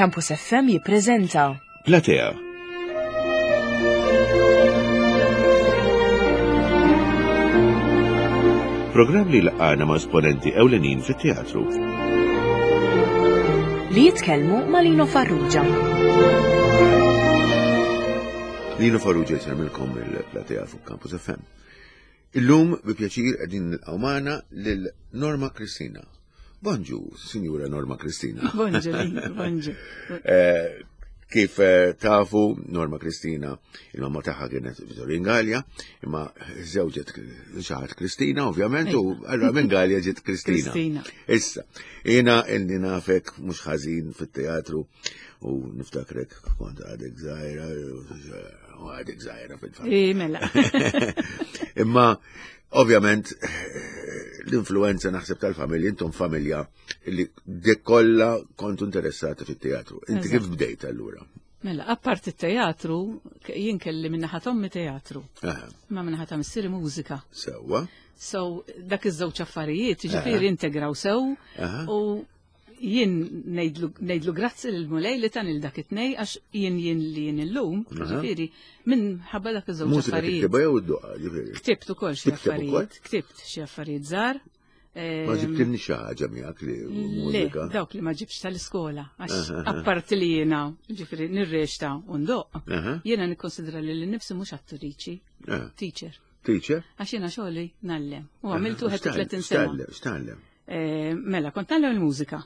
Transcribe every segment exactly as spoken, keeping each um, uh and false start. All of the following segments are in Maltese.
Campus F M jippreżenta Platea. Programm li laqana ma' esponenti ewlenin fit-teatru. Li jitkellmu ma' Lino Farrugia. Lino Farrugia jsemmilkom il-Platea fuq Campus F M. Illum bi pjaċir qegħdin nilqgħu magħna lil Norma Kristina. Bonġu, Sinjura Norma Kristina. Bonġu, Lino, bonġu. Eh, Kif eh, tafu, Norma Kristina, il-mamma tagħha kienet Vittorin Gallia, imma żewġet xi ħadd Kristina, ovvjament, u allura minn Gallia ġiet Kristina. Kristina. Issa, jiena ilni nafek mhux ħażin fit-teatru u niftakrek kont għadek żgħira, u għadek żgħira fil-fatt. I, mela. Imma ovvjament l-influenza naħseb tal-familja, intom familja li dik kollha kontu interessati fit-teatru. Inti Eżatt. kif bdejt allura? Mela, apart il-teatru, jien kelli minna ommi teatru, Aha, ma minna ta' missieri mużika. Sewwa. So, dak iż-żewġ affarijiet, ġifieri integraw sew, Aha. u jien ngħidlu ngħidlu grazzi lill-Mulej li tan il dak it-tnej, għax jien jien li jien illum, Aha. ġifieri, minħabba dak iż-żewġ Mużika affarijiet. tiktibha jew iddoqqa, ġifieri? Ktibt ukoll xi Tikteb ukoll? affarijiet, ktibt xi affarijiet żgħar. Ma ġibtilni xi ħaġa miegħek li Le, mużika? Dawk li ma ġibx tal-iskola, għax Aha, aha. apparti li jiena, ġifieri, nirreċta u ndoqq, Aha. jiena nikkonsidra li l-nifsi mhux attriċi, Ah, teacher. Teacher? Għax jiena xogħli ngħallem. U għamiltu X'tgħallem? tletin sena. X'tgħallem? X'tgħallem? Eh, Mela, kont ngħallem il-mużika.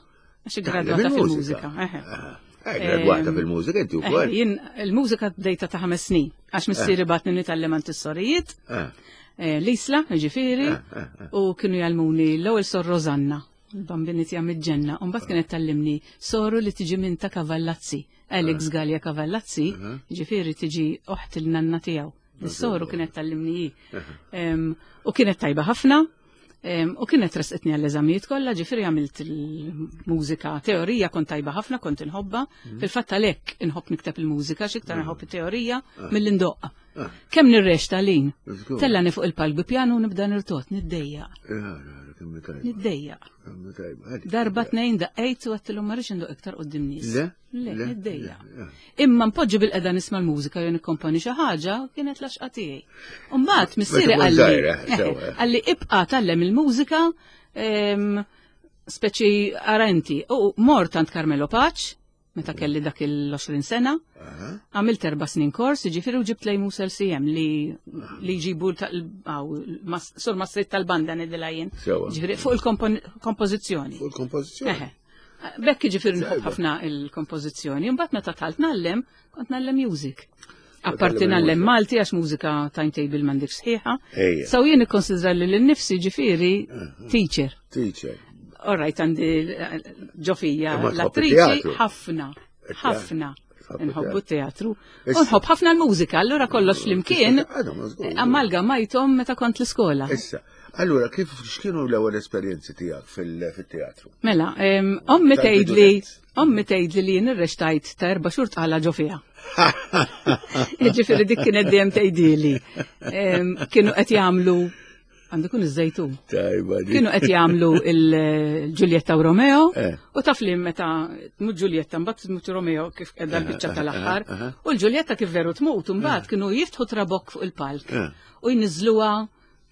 Għax Tgħallem gradwata il-mużika? fil-mużika. Eħe. Aha. Eh, gradwata Ehm, fil-mużika inti Eh, wkoll? Jien il-mużika bdejta ta' ħames snin, għax missieri bagħatni nitgħallem għand is-sorijiet, Ah, eh, l-Isla, ġifieri, ah, ah, ah. u kienu jgħallmuni l-ewwel Sor Rosanna, il-bambini tiegħi mill-ġenna, u mbagħad kienet tgħallimni soru li tiġi minn ta' Kavallazzi, Alex Gallia Kavallazzi, Aha. ġifieri tiġi oħt il-nanna tiegħu. Is-soru kienet tgħallimni hi. Em, U kienet tajba ħafna, em, u kienet resqitni għall-eżamijiet kollha, ġifieri għamilt il-mużika, teorija kont tajba ħafna, kont inħobba. Fil-fatt għalhekk inħobb nikteb il-mużika, x'iktar inħobb it-teorija milli ndoqq. Ah. Kemm nirreċta, Lin? Żgur. Tellani fuq il-palk bi pjanu u nibda nirtot, niddejjaq, Ja, ja, kemm tajba. niddejjaq. Kemm tajba. Għalik. Darba tnejn daqqejt u għedtilhom ma rridx indoq iktar quddiem nies. Le? Le, Le, niddejjaq. le, le. Imma npoġġi bilqiegħda nisma' l-mużika jew nikkomponi xi ħaġa kienet l-għaxqa tiegħi. U mbagħad missieri Meta kont qalli żgħira, sewwa. qalli ibqa' tgħallem il-mużika, em, speċi ara inti. U mort għand Carmelo Pace meta kelli dak il-għoxrin sena. Aha. Għamilt erba' snin kors, ġifieri, u ġibt lej Musel C M li li jġibu sur mastrit tal-banda ngħidilha jien. Sewwa. Ġifieri fuq il-kompożizzjoni. Fuq il-kompożizzjoni. Eħe. Bekk ġifieri nħobb Tajba. ħafna il-kompożizzjoni. Mbagħad meta dħalt ngħallem, kont ngħallem music. Apparti Tgħallem ngħallem il-mużika. Malti għax mużika timetable m'għandek sħiħa. Ejja. So jien nikkonsidra li l-nifsi ġifieri teacher. Teacher. All right, għandi ġo fija Imma tħobb l-attriċi it-teatru. ħafna, Il-teatru. ħafna. Tħobb Nħobbu teatru. Issa. U nħobb ħafna l-mużika, allura kollox flimkien Għadhom, żgur. amalgamajthom meta kont l-iskola. Issa, allura kif x'kienu l-ewwel esperjenzi tiegħek fil- fit-teatru? Mela, em, ommi Tal-bidu tgħidli, nett. ommi tgħidli li jien irreċtajt ta' erba' xhur tqala ġo fiha. Ġifieri dik kienet dejjem tgħidili. Em, Kienu qed jagħmlu, għandu kun iż-Żejtun. Tajba di. Kienu qed jagħmlu il-Giulietta u Romeo Eh. u taf li meta tmut Giulietta mbagħad tmut Romeo kif qiegħda l-biċċa tal-aħħar aha. u l-Giulietta kif veru tmut mbagħad kienu jiftħu trabokk fuq il-palk Eh. u jniżluha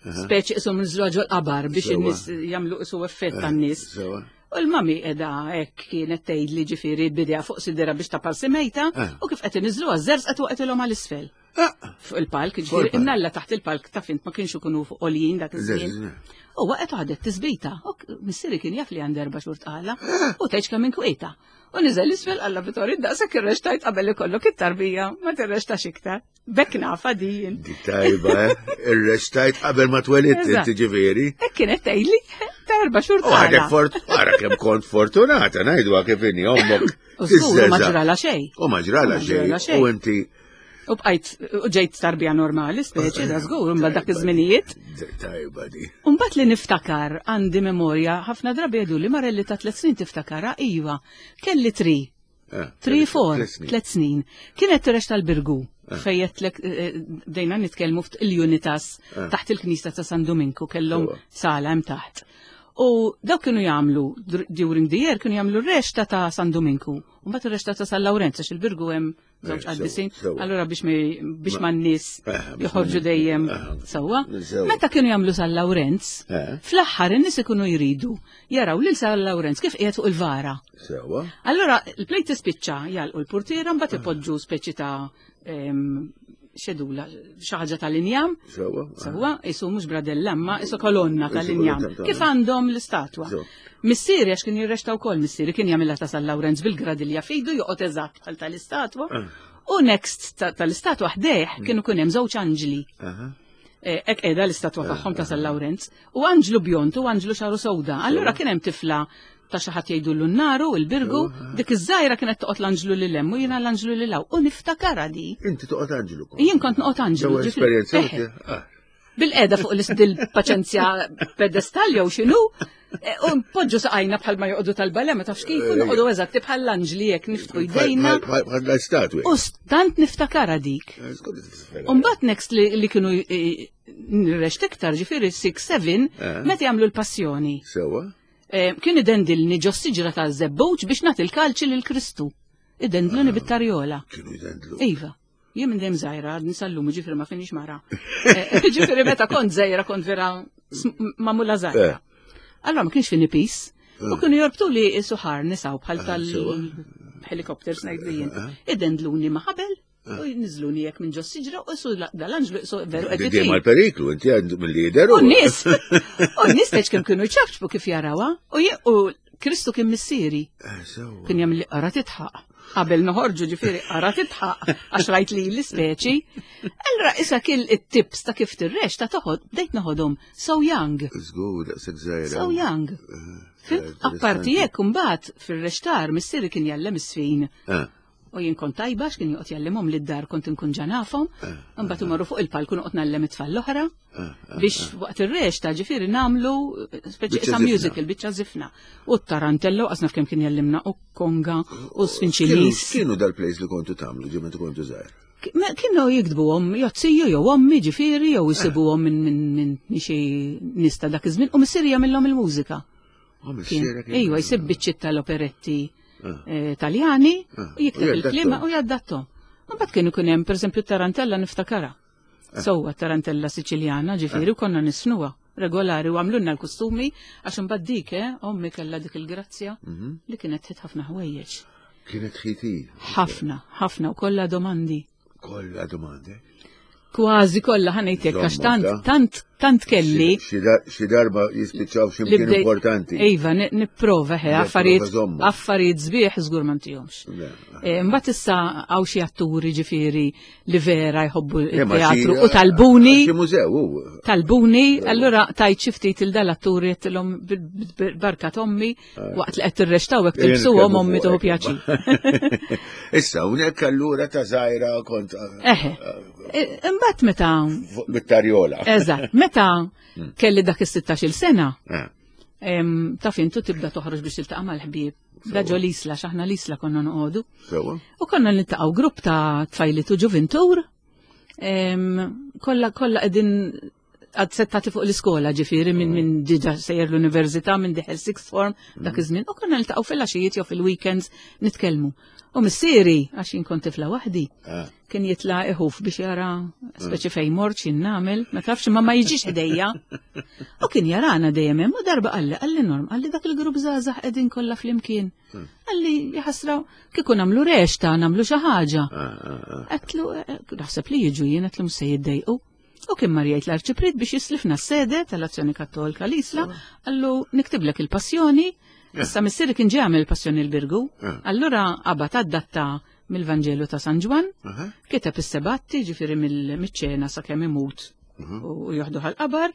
speċi qishom niżluha ġol qabar biex Sewwa. in-nies jagħmlu qisu effett tan-nies. Sewwa. U l-mami qiegħda hekk kienet tgħidli ġifieri bidea fuq sidera biex ta' parsi mejta Eh. u kif qed iniżluha żerż qed waqgħetilhom għal isfel. Ah, Fuq il-palk, Fuq ġifieri il-palk. imnalla taħt il-palk ta' fint ma kienx ikunu fuq għoljin dak iż-żmien. Le, le. U waqgħet u ħadet tisbita. U k- missieri kien jaf li għandi erba' xhur tqala u tgħidx kemm inkwieta. U niżel isfel qalla Vittorio, daqshekk irreċtajt qabel ikollok it-tarbija, ma tirreċtax iktar. Bekk nafa din. Di tajba, eh? Irreċtajt qabel ma twelidt Eżatt. inti ġifieri. Hekk kienet tgħidli ta' erba' xhur U għadek tqala. fort, ara kemm kont fortunata, ngħidu kif inni ommok. U żgur ma tiżżeża. ġrala xejn. U ma ġrala U ma ġrala xejn. xejn. U inti U bqajt u ġejt tarbija normali, speċi, da żgur, mbagħad dak iż-żminijiet. Tajba di. Umbagħad li niftakar għandi memorja, ħafna drabi jgħidu li marelli ta' tliet snin tiftakara, iva, kelli tri, Eh, tri, four, tliet snin. tliet snin. Kienet tirreċta l-Birgu, fejjetlek bdejna nitkellmu ftit il-Unitas Eh. taħt il-Knisa ta' San Dominku kellhom Sewwa. sala hemm taħt. U dawk kienu jagħmlu dur- during the year kienu jagħmlu r-rexta ta' San Dominku. U mbagħad ir-rexta ta' San Lawrenz għax il-Birgu hemm żewġ Eh, sewa, qaddisin. sewa. Allura biex mi- biex ma n-nies Eh, biex ma joħorġu n-nies- dejjem eh, sewwa. sewa. Meta kienu jagħmlu San Lawrenz, Eh. fl-aħħar in-nies ikunu jridu jaraw lil San Lawrenz kif qiegħed fuq il-vara. Sewa. Allora, il-play tispiċċa jgħalqu l-portiera mbagħad ipoġġu speċi ta' em, xedula, xi ħaġa tal-injam. Sewa. Sewa, isu mhux bradella, ma isu kolonna tal-injam. kolonna tal- Kif għandhom l-istatwa? Sewa. Missieri għax kien jirrexta wkoll missieri kien jagħmilha ta' San Lawrenz bil-gradilja fidu joqgħod eżatt bħal tal-istatwa. U next ta- tal-istatwa ħdejh kienu kien hemm żewġ anġli. Aha. Eh, Ek qiegħda l-istatwa tagħhom ta' San Lawrenz u anġlu bjont u anġlu xaru sewda. Allura kien hemm tifla ta' xi ħadd jgħidu l-naru, il-Birgu, dik iż-żgħira kienet toqgħod l-anġlu lil hemm u jiena l-anġlu lil hawn. U niftakara di. Inti toqgħod anġlu kont. Jien kont noqgħod anġlu. Sewa ġifieri- esperjenza. Eħe. Ah. Bil-qeda fuq l-istil paċenzja pedestal jew x'inhu, e, u npoġġu saqajna bħal ma joqogħdu tal-ballet, ma tafx kif, u noqogħdu eżatti bħal l-anġli jekk niftħu jdejna. Bħal l-statwi. U tant niftakara dik. Eh, skont tiftakara. Umbat next li, li kienu eh, nirrext iktar ġifieri sitta seba, Eh. meta jagħmlu l-passjoni. Sewa. Eh, Kien idendilni ġo siġra ta' żebbuġ biex nagħti l-kalċi lil Kristu. Idendluni bit-tarjola. Kienu jidendlu. Iva. Jien minn dejjem żgħira, għadni sal-lum, ġifieri ma finix mara. Eh, Ġifieri meta kont żgħira kont vera sm- magħmula żgħira. Eh. Allora ma kienx fini pis. U kienu jorbtu li suħar nisaw bħal Eh, sewa. tal-helicopters ngħidlu jien. Idendluni ma' ħabel u jniżluni jekk minn ġo siġra u su dal-anġlu su veru qed Dejjem itir. għal-periklu, inti għandu mill-lider. U n-nies, u n-nies teċ kemm kienu jċafċbu kif jarawha, u je- u Kristu kien missieri. Eh, Sewa. Kien jagħmel li qara titħaq. Qabel noħorġu ġifieri qara titħaq għax rajt li l-ispeċi. Allura issa kien it-tips ta' kif tirrex ta' toħod bdejt noħodhom so young. Żgur, daqshekk żgħira. So young. Fhimt? Apparti jekk imbagħad fir-rextar missieri kien jgħallem is-sfin. Eh, U jien kont tajba x'kien joqgħod jgħallimhom lid dar kont inkun ġanafhom, imbagħad imorru fuq il-palk u noqgħod ngħallem it-tfal l-oħra biex waqt ir-rex ta' ġifieri nagħmlu speċi Biċċa sa żifna. musical biċċa żifna. U t-tarantello qasna f'kemm kien jgħallimna u konga u Kienu sfinċinis. kienu dal-plays li kontu tagħmlu ġie meta kontu żgħir. Kienu jiktbuhom jozziju jew ommi ġifieri jew jisibuhom minn minn minn xi nies ta' dak iż-żmien u missieri jagħmilhom il-mużika. Oh, Kien- missierek Ejwa, jsib biċċiet tal-operetti Ah. eh, Taljani Ah, u jikteb u il-klima jaddattom. u jaddattom. Mbagħad kienu kien hemm pereżempju tarantella niftakara. Ah. Sewwa tarantella Siċiljana ġifieri u konna nisnuha regolari u għamlunna l-kostumi għax imbagħad dik, eh, ommi kellha dik il-grazzja Mhm. li kienet tħit ħafna ħwejjeġ. Kienet ħiti. Ħafna, ħafna u kollha domandi. Kollha domandi. Kważi kollha ħa ngħidlek għax tant Żommok, tant tant kelli Xi dar- Xi darba jispiċċaw xi li mkien bdejt- importanti. Iva, ni- nipprova he, Nipprova affarijiet żommok. affarijiet sbieħ żgur ma ntihomx. Le, Eh, Mbagħad issa hawn xi atturi ġifieri li vera jħobbu Le, ma xi- il-teatru u talbuni, Xi mużew hu. talbuni, allura tajt xi ftit il dal-atturi għedtilhom bil-barka t'ommi waqt li qed tirrextaw hekk tilbsuhom ommi tieħu pjaċir. Issa, hawnhekk allura ta' żgħira kont Eħe. Eh, Imbagħad meta fuq bit-tarjola. eżatt, meta kelli dak is-sittax-il sena, Eh, em, taf intu tibda toħroġ biex tiltaqa' mal-ħbieb. Da ġo l-Isla, x'aħna l-Isla konna noqogħdu. Sewa. U konna niltaqgħu grupp ta' tfajliet u ġuvintur. em, Kollha kollha qegħdin għad settati fuq l-iskola ġifieri minn min diġà sejjer l-università minn diħel sixth form dak iż-żmien u konna niltaqgħu fil-għaxijiet jew fil-weekends nitkellmu. U missieri għax jien kont tifla waħdi Ah. kien jitla' iħuf biex jara speċi fejn mort x'jien nagħmel, ma tafx ma ma jiġix ħdejja. U kien jarana dejjem hemm u darba qalli qalli Norm, qalli dak il-grupp żgħażagħ qegħdin kollha flimkien. Qalli jaħasra kieku nagħmlu rexta, nagħmlu xi ħaġa. Ah, ah, ah. Għedtlu, eh, naħseb li jiġu jien għedtlu se jiddejqu. U kien mar jgħid l-arċipriet biex jislifna s-sede tal-Azzjoni Kattolika l-Isla, qallu niktiblek il-passjoni, issa missieri kien ġie għamel il-passjoni l-Birgu, Ah. allura qabad adatta mill-Vanġelu ta' San Ġwann, Aha. kiteb is-sebatti ġifieri mill-ċena sakemm imut u joħdu għal-qabar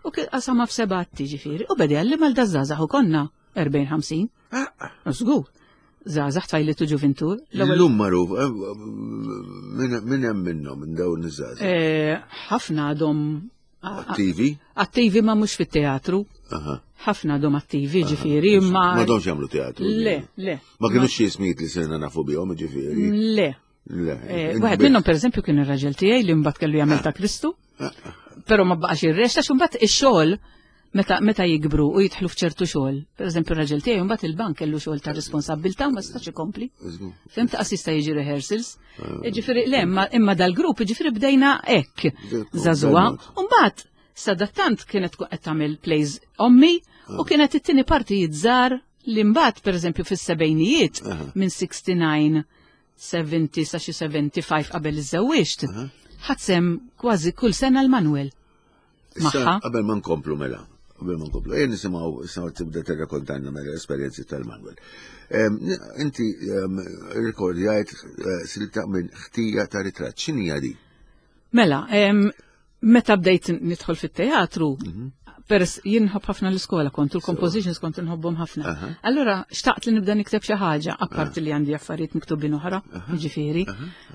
u qasama f'sebatti ġifieri u beda jgħallem għal daż-żgħażagħ u konna erbgħin ħamsin. Ah, ah. Żgur. Żgħażagħ tfajliet u ġuvintur. L-ewwel Illum magħruf, eh, min min hemm minnhom minn dawn iż-żgħażagħ? eh, ħafna għadhom a- a- Attivi? attivi ma mhux fit-teatru. Aha. Ħafna għadhom attivi ġifieri imma Ma domx jagħmlu teatru. Le, le. Ma kienux xi ismijiet li sirna nafu bihom, ġifieri. Le. Le. Eh, Wieħed minnhom pereżempju kien ir-raġel tiegħi li mbagħad kellu jagħmel ta' Kristu. Però ma baqax ir-rexta xi mbagħad ix-xogħol Meta, meta jikbru u jidħlu f'ċertu xogħol, pereżempju r-raġel tiegħi mbagħad il-bank kellu xogħol ta' responsabbiltà u ma setax ikompli. Żgur. Fhimt qas jista' jiġi rehearsals. Ġifieri le, imma imma dal-grupp ġifieri bdejna hekk żagħżugħa. Dal-mod. U mbagħad sadattant kienet tkun qed tagħmel plays ommi u kienet it-tieni partijiet żgħar li mbagħad pereżempju fis-sebgħinijiet minn sixty-nine, seventy sa xi seventy-five qabel iżżewwiġt, ħadt sehem kważi kull sena l-Manuel. Issa, Magħha. Qabel ma nkomplu mela, qabel ma nkomplu, ejja nisimgħu issa tibda tirrakkontanna mela l-esperjenzi tal-Manuel. Em, n- Inti em, rrekordjajt eh, silta minn Ħtija ta' Ritratt, x'inhija di? Mela, em, meta bdejt nidħol fit-teatru, peress jien nħobb ħafna l-iskola kont, u l-compositions kont nħobbhom ħafna. Allora, xtaqt li nibda nikteb xi ħaġa, apparti li għandi affarijiet miktubin oħra, jiġifieri.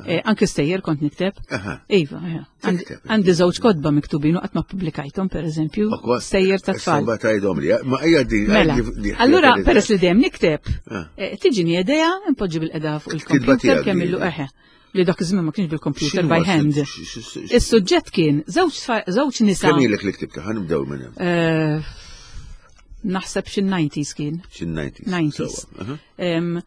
Eh, Anke stejjer kont nikteb. Aha. Iva, eh. Għandi- Tikteb. Għandi żewġ kotba miktubin u qatt ma ppubblikajthom, pereżempju, stejjer ta' tfal. Mbagħad tgħidhom li, ma hija di. Mela, di- di- allura di- peress li dejjem nikteb, Ah. eh, tiġini idea, impoġġi bilqiegħda fuq Kitba il-computer tiegħek kemm di. illu eħe. Li dak iż-żmien ma kienx bil-computer X'inhu by huwa hand. x- x- x- Is-suġġett kien żewġ tfa- żewġ nisa. Kemm ilek li ktibta? Ħa nibdew minn hemm. Eh, Naħseb xi nineties kien. Xi nineties. nineties. Sewwa, aha. Em,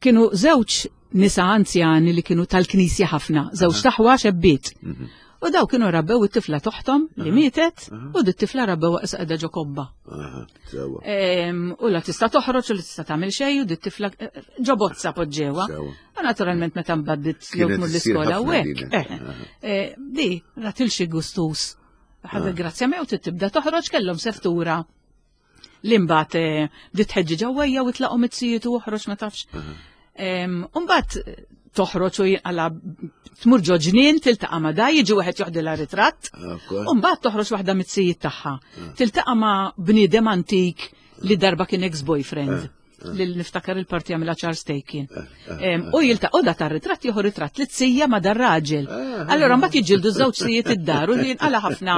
Kienu żewġ nisa anzjani li kienu tal-knisja ħafna, żewġ aħwa xebbiet. Mhm. U daw kienu rabbew it-tifla t'oħthom li mietet u di t-tifla rabbew issa qiegħda ġo kobba. Aha, sewwa. Em, U la tista' toħroġ u la tista' tagħmel xejn u di t-tifla eh, ġo bozza poġġewha. Sewwa. U naturalment meta mbagħad bdiet jew Kienet tmur issir l-iskola u ħafna hekk. din, eh, aha. eh, Di ratil xi gustus. Ħadet grazzja mew tibda toħroġ kellhom seftura. Li mbagħad eh, bdiet tħeġġi ġewwejja u tlaqhom it-sijiet u oħroġ ma tafx. Em, U mbagħad eh, toħroġ u jinqala tmur ġo ġnien tiltaqa' ma' da jiġi wieħed joħdilha ritratt. Akwa. U mbagħad toħroġ waħda mit-sijiet tagħha. Tiltaqa' ma' bniedem antik li darba kien ex-boyfriend. Li niftakar il-parti għamilha Charles Taken. Em, U jiltaqgħu da tar-ritratt jieħu ritratt li tsija ma' dar-raġel. Allora mbagħad jiġġieldu żewġ sijiet id-dar u li jinqala ħafna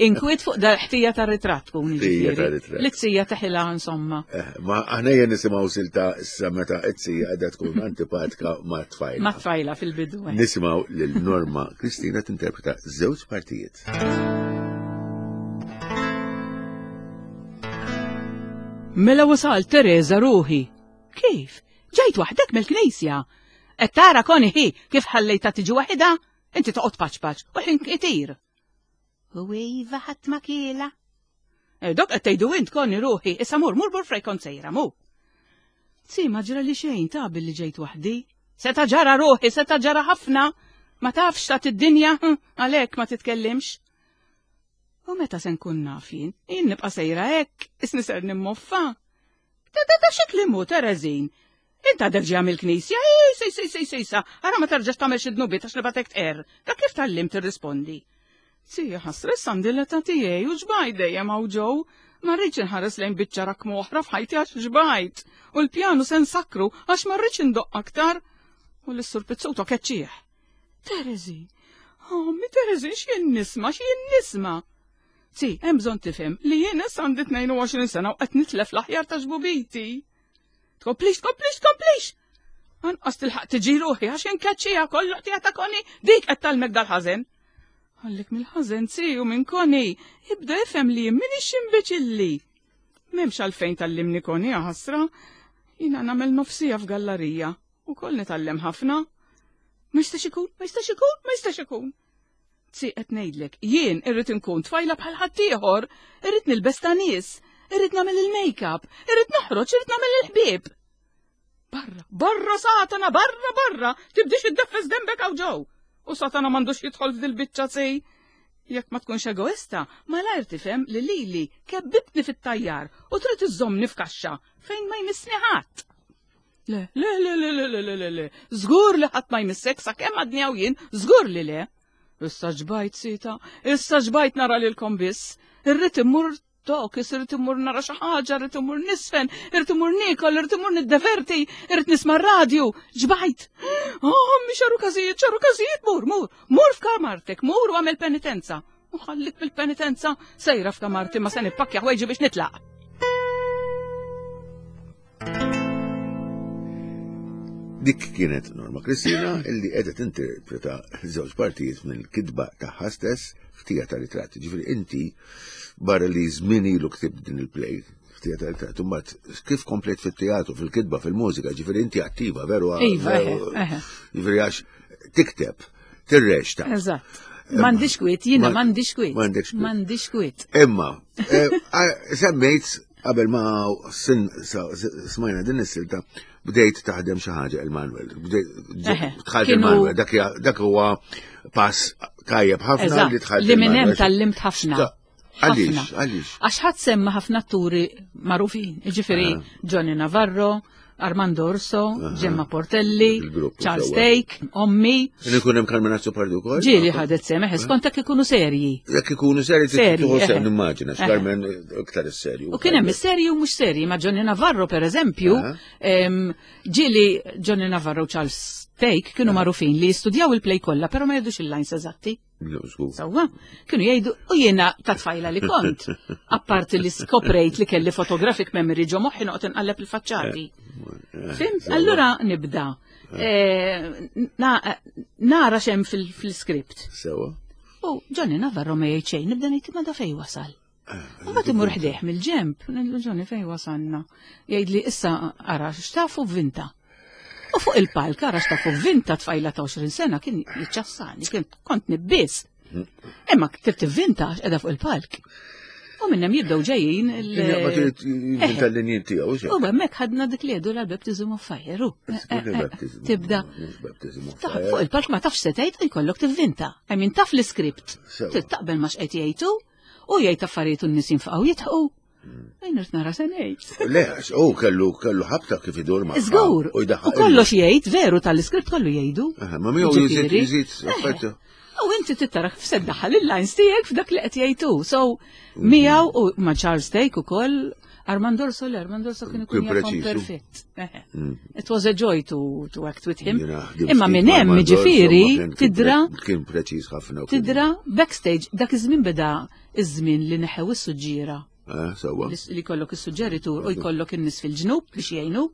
inkwiet fuq da ħtija tar-ritratt tkun Ħtija jiġifieri. tar-ritratt. Li tsija teħilha insomma. Eh, Ma aħna jien nisimgħu silta issa meta t-sija qiegħda tkun antipatika ma' tfajla. Ma' tfajla fil-bidu. eh. Nisimgħu lil Norma Kristina tinterpreta żewġ partijiet. Mela wasal Teresa ruħi. Kif? Ġejt waħdek mill-knisja. Qed tara koni hi kif ħallejta tiġi waħida? Inti toqgħod paċ paċ u ħin itir. U iva ħadd ma kiela. E, dok qed tgħidu int koni ruħi, issa mur mur mur frej kont sejra mu. Si ma ġra li xejn ta' billi ġejt waħdi. Seta ġara ruħi, seta ġara ħafna. Ma tafx ta' id-dinja, hm, għalhekk ma titkellimx. U meta se nkun naf jien, jien nibqa' sejra hekk, isni ser nimmoffa. Ta ta ta xi Terezin. Inta għadek ġejja mill-knisja, ej, sej, sej, sej, sej, sa, ara ma terġax tagħmel xi dnubiet għax nibgħatek tqerr. Da kif tgħallimt tirrispondi? Si, ħasra għandi l-età tiegħi u ġbajt dejjem hawn ġew. Ma rridx inħares lejn biċċa rakmu oħra f'ħajti għax ġbajt. U l-pjanu se nsakru għax ma rridx indoq aktar. U l-sur Pizzuto keċċieħ. Terezin, ommi Terezin, x'jien nisma', x'jien nisma'. Si, hemm bżonn tifhem li jien issa għandi tnejn u għoxrin sena u qed nitlef l-aħjar ta' ġbubiti. Tkomplix, tkomplix, tkomplix! Anqas tilħaq tiġi ruħi għax inkeċċija kollu ħtija ta' Koni, dik qed tgħallmek dal-ħażen. Għallek mill-ħażen si u minn Koni, ibda ifhem li jien m'iniex imbeċilli. M'hemmx għalfejn tgħallimni Koni ħasra, jiena nagħmel nofsija f'gallarija u koll nitgħallem ħafna. Ma jistax ikun, ma jistax ikun, ma jistax ikun. Si qed ngħidlek, jien irrid inkun tfajla bħal ħaddieħor, irrid nilbes ta' nies, irrid nagħmel il-make-up, irrid noħroġ, irrid nagħmel il-ħbieb. Barra, barra Satana, barra, barra, tibdix iddeffes dembek hawn ġew. U Satana m'għandux jidħol f'dil biċċa sej. Jekk ma tkunx egoista, malajr tifhem li lili kebbibtni fit-tajjar u trid iżżommni f'kaxxa fejn ma jmissni ħadd. Le, le, le, le, le, le, le, le, le, żgur li ħadd ma jmissek sakemm għadni hawn jien, żgur li le. Issa ġbajt sita, issa ġbajt nara lilkom biss. Irrid immur tok, irrid immur nara xi ħaġa, irrid immur nisfen, irrid immur niekol, irrid immur niddeverti, irrid nisma' r-radju. Ġbajt. Oh, mi xaru każijiet, xaru każijiet, mur, mur, mur f'kamartek, mur u għamel penitenza. U ħallik bil-penitenza, sejra f'kamarti ma se nippakkja ħwejġi biex nitlaq. Dik kienet Norma Kristina illi qiegħda tinterpreta żewġ partijiet mill-kitba tagħha stess, Ħtija ta' ritratt. Ġifieri inti barra li żmien ilu ktibt din il-play, Ħtija ta' ritratt, imbagħad kif komplet fit-teatru, fil-kitba, fil-mużika, ġifieri inti attiva, veru? Iva, eħe, eħe. Ġifieri għax tikteb, tirreċta. Eżatt. M'għandix kwiet, jiena Ma- m'għandix kwiet. m'għandekx kwiet. M'għandix kwiet. Imma, eh, a- semmejt qabel ma sin sa- smajna din is-silta, bdejt taħdem xi ħaġa il-Manuel. Bdejt Eħe, dħalt kienu- il-Manuel, dak hija- dak huwa pass tajjeb ħafna Eżatt, li dħalt li minn hemm il-Manuel. tgħallimt ħafna. Ta- Għaliex, Ħafna. għaliex. Għax ħadd semma ħafna atturi magħrufin, ġifieri Ah. Johnny Navarro, Armando Orso, Gemma Portelli, Il-grupp, Charles sewwa. Take, Ommi, Kien ikun hemm Carmen Azzopardi wkoll? ġieli ħadet sehem, eħe, skont hekk ikunu serji. Jekk ikunu seri, Seri, tieħu sehem eħe. nimmaġina, Eħe. Carmen iktar is-serju. U kien hemm is-serji u mhux serji, ma' Johnny Navarro per eżempju, Aha. em, ġieli Johnny Navarro u Charles Take kienu magħrufin li jistudjaw il-play kollha, però ma jgħidux il-lines eżatti. Żgur. Sewwa, kienu jgħidu, u jiena ta' tfajla li kont, apparti li skoprejt li kelli photographic memory ġo moħħi noqgħod inqalleb il-faċċati. Fhimt? Allura nibda. Eh, na- Nara x'hemm fil- fil-script. Sewwa. U Johnny Navarro ma jgħid xejn, nibda ngħid ma da fej wasal. U mbagħad imur ħdejh mill-ġemp, ngħidlu Johnny fej wasalna. Jgħid li issa ara x'tafu vinta. U fuq il-palk ara x'tafu vinta tfajla ta' għoxrin sena kien jiċċassani, kien kont nibbis. Imma trid tivvinta għax qiegħda fuq il-palk. U minn hemm jibdew ġejjin il- Kien jaqbad jivvinta l-linji tiegħu, U hemmhekk ħadna dik li jgħidu l-baptism of fire. u. Tibda Baptism of Taħ fire. fuq il-palk ma tafx se tgħid u jkollok tivvinta. I mean taf l-iskript. Sewwa. Trid taqbel ma x'qed jgħidu u jgħid affarijiet u n-nies jinfaqgħu jidħqu. Jien irid nara se ngħid. Le, għax, u kellu kellu ħabta kif idur ma. Żgur. U jdaħħaq U kollox jgħid, veru tal-iskript kollu jgħidu. Aha, ma miegħu jżid Ġifieri. jżid Eh. affarijiet. U inti tittara kif se ddaħħal il-lines tiegħek f'dak li qed jgħidu. So miegħu u ma' Charles Take ukoll Armando Orso, le Armando Orso kien ikun Kien jafhom preċiż, perfett. Eħe. It was a joy to, to act with him. Jiena ħdimt Imma ftit minn ma' hemm Armando Orso, ġifieri ma kien- kien tidra pre- Kien preċiż ħafna. u kien- tidra backstage dak iż-żmien beda iż-żmien li neħew is-suġġiera. Eh, sewwa. Li li jkollok is-suġġeritur u jkollok in-nies fil-ġnub biex jgħinuk.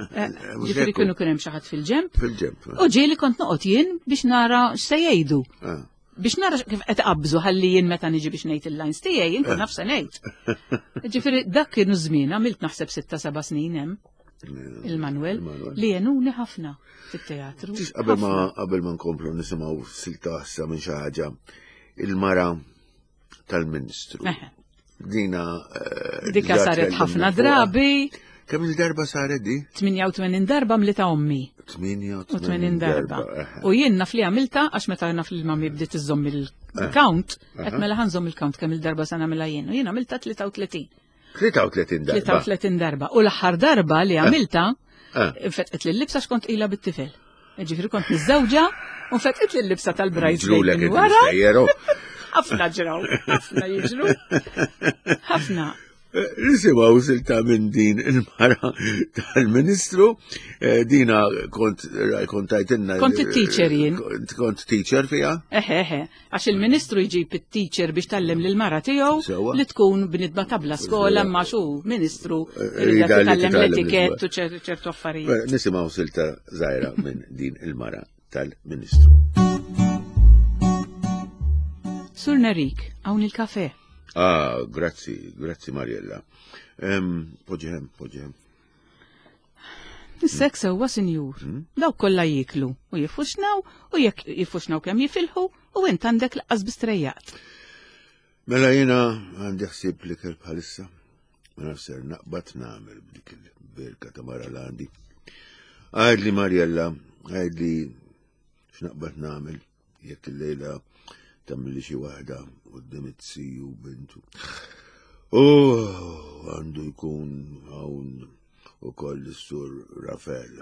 Eh, mhux Ġifieri hekk. kienu kien hemm xi ħadd fil-ġemp. Fil-ġemp. U ġieli kont noqgħod jien biex nara x'se jgħidu. Ah. Biex nara kif qed qabżu ħalli jien meta niġi biex ngħid il-lines tiegħi jien kun naf se ngħid. Ġifieri dak kienu żmien għamilt naħseb sitta seba' snin hemm il-Manuel Il-Manuel. li għenuni ħafna fit-teatru. Tix qabel ma Ħafna. qabel ma nkomplu nisimgħu silta issa minn xi ħaġa il-mara tal-Ministru. Eħe. Dina eh, Dika diġà saret tkellimna ħafna fuqha. drabi, Kemm il-darba saret di? tmienja u tmenin darba mlita ommi. tmienja u tmenin tmenin darba. eħe. U jien naf li għamilta, għax meta naf li mami bdiet iżomm il-count, qed mela ħa nżomm il-count kemm il-darba sa nagħmilha jien. U jien għamilta tlieta u tletin. tlieta u tletin darba. tlieta u tletin darba. U l-aħħar darba li għamilta, Eh. fetqet li l-libsa x'kont ila bit-tifel. Ġifieri kont miżżewġa u fetqet li l-libsa tal-bridesmaid Ġrulek minn inti wara. mistejjeru. Ħafna ġraw, ħafna jiġru. Ħafna. Nisimgħu silta minn din il-mara tal-Ministru. Eh, Dina kont kont tajtinna. Kont it-teacher jien. Kont- Kont teacher fija? Eħe, eħe, għax il-ministru jġib it-teacher biex tgħallem lil mara tiegħu Sewwa. li tkun bnidma tabla skola ma xu ministru Rida rida li titgħallem titgħallem l-etikett u ċer- ċertu affarijiet. Nisimgħu silta żgħira minn din il-mara tal-Ministru. Sur Nerik, hawn il-kafe. Ah, grazzi, grazzi Mariella. Em, Poġġi hemm, poġġi hemm. Is-sek sewwa sinjur. Dawk kollha jieklu u jiffuxnaw u jekk jiffuxnaw kemm jifilħu u int għandek laqqas bistrejjat. Mela jiena għandi ħsieb li kelb bħalissa. Ma nafx ser naqbad nagħmel b'dik il-berka ta' mara l għandi. Għidli Mariella, għidli x'naqbad nagħmel jekk il-lejla tagħmilli xi waħda quddiem it-siju bintu. Oh, għandu jkun hawn ukoll is-sur Rafael.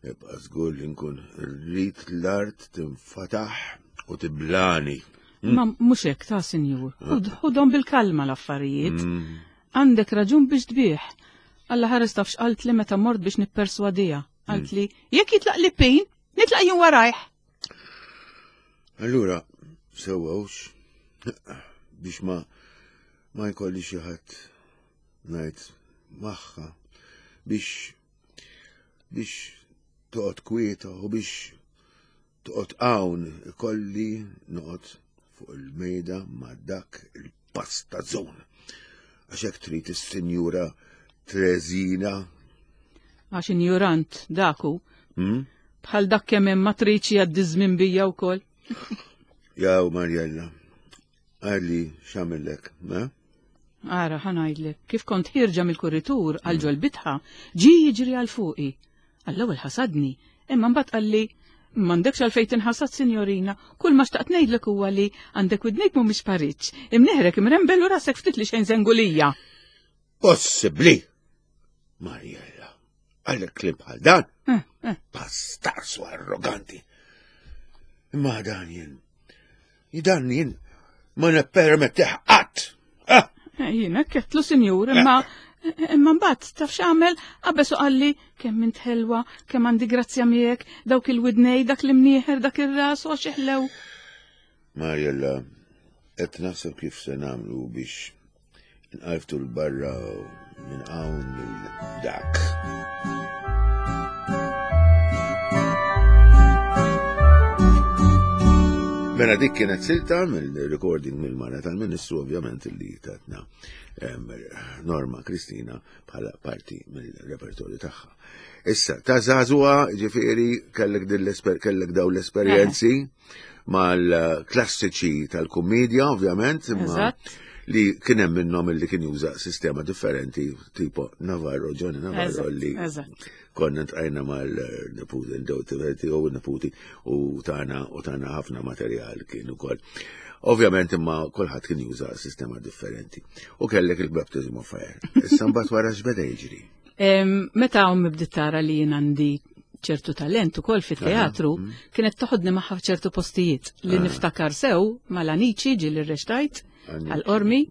Ibqa' żgur li nkun rrid l-art tinfataħ u tiblani. Ma mhux hekk ta' sinjur. Ħudhom bil-kalma l-affarijiet. Mm. Għandek raġun biex tbieħ. Alla ħares taf x'qalt li meta mort biex nipperswadija. Qalt li jekk jitlaq li pin, nitlaq jien warajh. Allura, sewwa hux, biex ma ma jkolli xi ħadd ngħid magħha biex biex toqgħod kwieta u biex Toqgħod hawn ikolli noqgħod fuq il-mejda ma' dak il-pastazzon. Għax hekk trid is-Sinjura Trezina. Għax injurant daku. Hmm? Bħal dak kemm hemm matriċi għaddi żmien bija wkoll. Jaw Marjella, għalli x'għamillek, ma? Ara, ħa ngħidlek, kif kont ħierġa mill-kuritur għal ġol bitħa, ġi jiġri għal fuqi. Għall-ewwel ħasadni, imma mbagħad qalli m'għandekx għalfejn tinħasad, sinjorina, kull ma xtaqt ngħidlek huwa li għandek widnejk mhumiex pariġġ, imneħrek imrembel u rasek ftit li xejn żengulija. Possibbli! Marjella, għallek kliem bħal dan? Eh, eh. Pastarsu arroganti. Imma dan jien, dan jien ma nippermettih qatt. Ah! Eh, Jiena kettlu sinjur, imma imma mbagħad taf x'għamel qabeż u qalli kemm int ħelwa, kemm għandi grazzja miegħek, dawk il-widnej, dak l-imnieħer, dak ir-ras u għax iħlew. Marjella, qed naħseb kif se nagħmlu biex nqarftu l-barra minn hawn lil dak. Mela dik kienet silta mill-recording mill-mara tal-Ministru ovvjament li tatna em, Norma Kristina bħala parti mill-repertorju tagħha. Issa, ta' żagħżugħa ġifieri kellek din l-esper kellek daw l-esperjenzi mal-klassiċi tal-kumedja ovvjament, imma Eżatt. li kien hemm minnhom illi kien juża sistema differenti tipo Navarro, Johnny Navarro Eżatt, li eżatt. konna ntqajna mal-neputi, il-dewti u neputi u tana u tana ħafna materjal kien ukoll. Ovvjament imma kulħadd kien juża sistema differenti. U kellek il-baptism of fire. Issa mbagħad wara x'beda jiġri. Em, Meta ommi bdiet tara li jien għandi ċertu talent ukoll fit-teatru, kienet toħodni magħha f'ċertu postijiet li niftakar sew mal-aniċi ġieli rrextajt Anici. għal-qormi.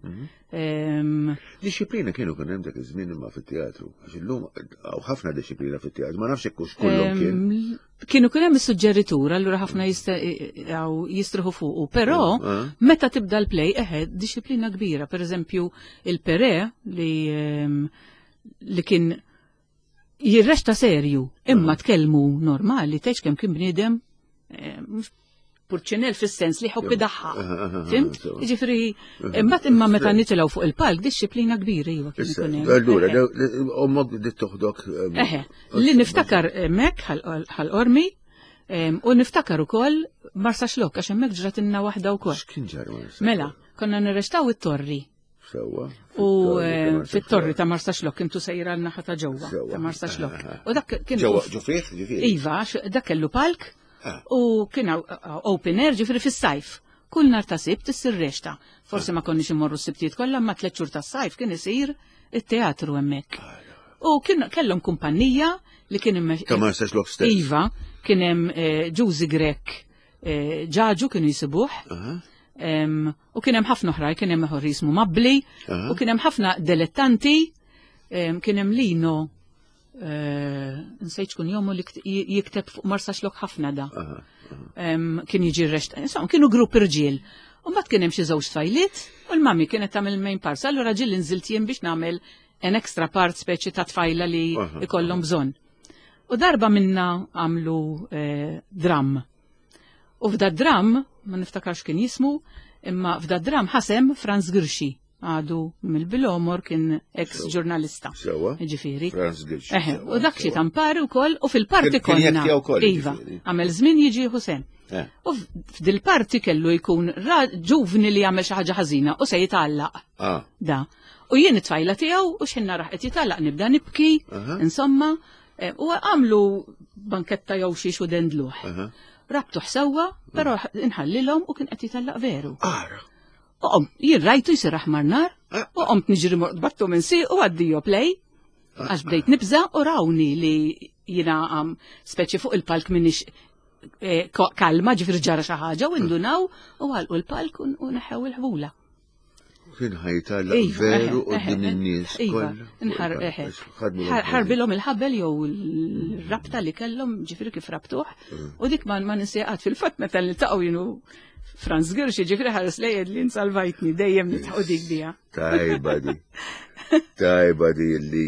Em, Disciplina kienu kien hemm dak iż-żmien imma fit-teatru. Għax illum hawn ħafna disciplina fit-teatru, ma nafx hekk hux kullhom kien. em, Kienu kien hemm is-suġġeritur, allura ħafna jista- għaw jistruħu fuqu, però Ah. meta tibda l-play, eħe, disciplina kbira. Per eżempju, il-Pere li em, li kien jirrexta serju, imma tkellmu normali, tgħidx kemm kien bniedem eh, mhux purċinel fis-sens li ħobbi daħħa. Aha, aha, Fimt? sewa. Jiġifieri, imbagħad imma meta nitilgħu fuq il-palk, disċiplina kbira iva kien Issa, ikun hemm. allura, Eħe. daw- ommok bdiet toħdok. em, Eħe, li niftakar hemmhekk ħal-qormi em, u niftakar ukoll Marsaxlokk għax hemmhekk ġratilna waħda wkoll. X'kien ġara Marsa? Mela, konna nirrextaw it-torri. Sewwa. U eh, fit-torri ta' Marsaxlokk intu sejra l-naħa ta' ġewwa Sewwa. ta' Marsaxlokk. U dak kien Ġewwa ġo fih, ġifieri. Iva, għax dak kellu palk Ah. u kien hawn- open air ġifieri fis-sajf. Kull nhar ta' sibt issir rexta. Forsi ma konniex immorru s-sibtijiet kollha, ma tliet xhur tas-sajf kien isir it-teatru hemmhekk. U kien kellhom kumpanija li kien immex- Ta' Marsaxlokk stess. Iva, kien hemm eh, Ġużi Grek eh, Ġaġu kienu jisibuh. Aha. Em, U kien hemm ħafna oħrajn, kien hemm ieħor jismu Mabli, Aha. u kien hemm ħafna dilettanti, em, kien hemm Lino, eh, nsejt xkun jomu li kt- j- jikteb fuq Marsaxlokk ħafna da. Aha. Em, Kien jiġi r-rest, insomma, kienu grupp irġiel. U mbagħad kien hemm xi żewġ tfajliet u l-mami kienet tagħmel main parts. Allura ġieli nżilt jien biex nagħmel an extra part speċi ta' tfajla li Aha. ikollhom bżonn. U darba minna għamlu eh, dram. U f'da dram, ma niftakarx kien jismu, imma f'da dram ħasem Franz Grixi, għadu mill-Bilomor kien ex-ġurnalista. Sewwa. Ġifieri. Franz Grixi. Eħe, sewwa, u dak xi sewwa. tampari wkoll u fil-parti Kien- kien konna. jekkja wkoll, Iva, ġifieri. għamel żmien jiġi Hussein. Eh. U f'dil parti kellu jkun ra- ġuvni li jagħmel xi ħaġa ħażina u se jitgħallaq. Ah. Da. U jien it-tfajla tiegħu u x'ħin naraħ qed jitgħallaq nibda nibki, Aha. insomma, eh, u għamlu banketta jew xi xu dendluħ. Aha. Rabtuh sewwa, però inħallilhom u kien qed jitgħallaq veru. Ara. U qomt, jien rajtu jsir aħmar nar, Ah. u qomt niġri battu minn si u għaddijo play, għax bdejt nibża u rawni li jina għam speċi fuq il-palk minix eh, ko- kalma ġifir ġara xi ħaġa u indunaw u għalqu l-palk u u neħew il-ħbula. Kien ħajtalla Iva, veru eħe, qudiem eħe, in-nies Iva, kollha. nħar, eħe. Ħadmu Ħar- Ħarbilhom il-ħabel jew l-rabta li kellhom ġifieri kif rabtuh. Mm. U dik ma ma ninseqat fil-fatt meta niltaqgħu jienu Franz Girxi ġifieri ħares lejjed li nsalvajtni dejjem nitħu dik bija. Tajba di. Tajba di li.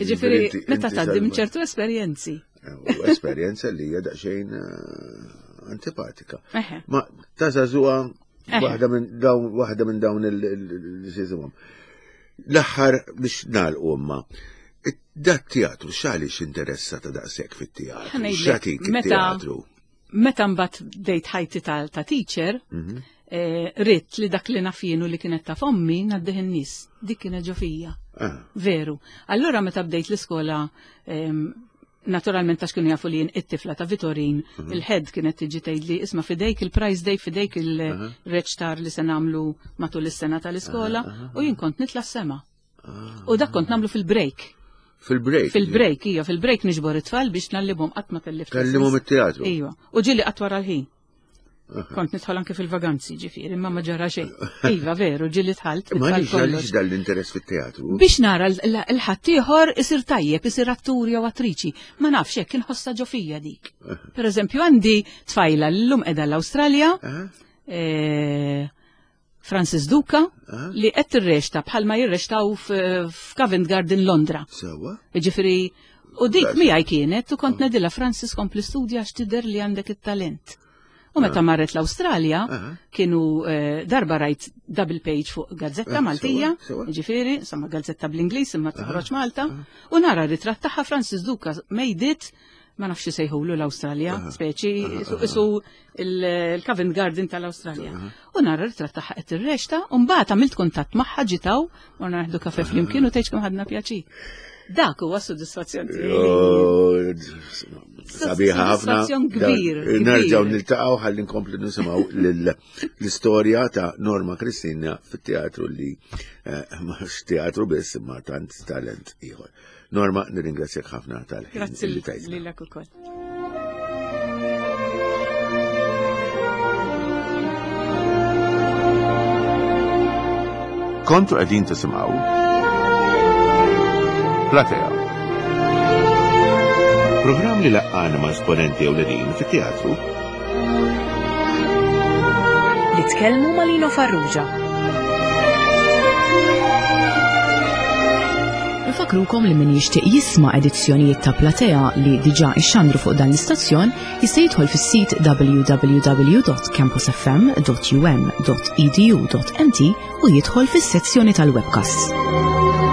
Ġifieri inti- meta inti tgħaddi minn salva- ċertu esperjenzi. U esperjenza li hija daqsxejn eh, antipatika. Eħe. Ma ta' żagħżugħa Eħe. waħda minn dawn waħda minn dawn il-sisimhom. L-aħħar biex nagħlqu imma. Dat teatru x'għaliex interessa ta' daqshekk fit-teatru? Ħa ngħidlek, X'għatik meta- it-teatru? Meta mbagħad bdejt ħajti ta' ta' teacher, Mhm. eh, ridt li dak li naf jien u li kienet ta' fommi ngħaddih in-nies. Dik kienet ġo fija. Ah, Veru. Allura meta bdejt l-iskola, em, naturalment għax kienu jafu li jien it-tifla ta' Vitorin, il-head kienet tiġi tgħidli isma' fidejk il-prize day, fidejk il-reċtar li se nagħmlu matul is-sena tal-iskola, u jien kont nitla' s-sema. U dak kont nagħmlu fil-break. Fil-break. Fil-break, ija, fil-break niġbor it-tfal biex ngħallimhom qatt ma tellift. Tgħallimhom it-teatru. Iva. U ġieli qatt wara l-ħin. Kont nidħol anke fil-vaganzi, ġifieri, imma ma ġara xejn. Iva, veru, ġieli dħalt. Ma it-tfal għaliex kollox. għaliex dan l-interess fit-teatru? Biex nara l-ħaddieħor isir tajjeb, isir attur jew attriċi. Ma nafx hekk inħossha ġo fija dik. Per eżempju, għandi tfajla l-lum qiegħda l-Awstralja, Ah, eh, Francis Duca, ah, li qed tirrexta bħalma jirrextaw f'Covent Garden Londra. Sewwa? Ġifieri, u dik Grazzi. miegħi kienet u kont ngħidilha Francis kompli studja għax tidher li għandek it-talent. U meta marret l-Awstralja, Ah. kienu eh, darba rajt double page fuq gazzetta Ah, Maltija, sewwa, sewwa. ġifieri, insomma gazzetta bl-Ingliż imma toħroġ Malta, u nara ritratt tagħha Francis Duca made it, ma nafx sejħulu l-Awstralja, speċi, isu- isu il-Covent Garden tal-Awstralja. U nara ritratt tagħha qed tirrexta, u mbagħad għamilt kuntatt magħha ġitaw, morna naħdu kafe flimkien u tgħidx kemm ħadna pjaċir. Dak huwa sodisfazzjon tiegħi. Oh, Sabiħa ħafna. Sodisfazzjon kbir, Dan- Nerġgħu kbir. niltaqgħu ħalli nkomplu nisimgħu lill- l-istorja ta' Norma Kristina fit-teatru li eh, mhux teatru biss imma tant talent ieħor. Norma, nirringrazzjak ħafna tal-ħin Grazzi li tajtna. lilek ukoll. Kontu qegħdin tisimgħu Platea. Programm li laqqana ma' esponenti ewlenin fit-teatru Li tkellmu ma' Lino Farrugia. Nfakrukom li min jixtieq jisma' edizzjonijiet ta' Platea li diġà ixxandru fuq dan l-istazzjon jista' jidħol fis-sit w w w dot campus f m dot u m dot e d u dot m t u jidħol fis-sezzjoni tal-webcasts.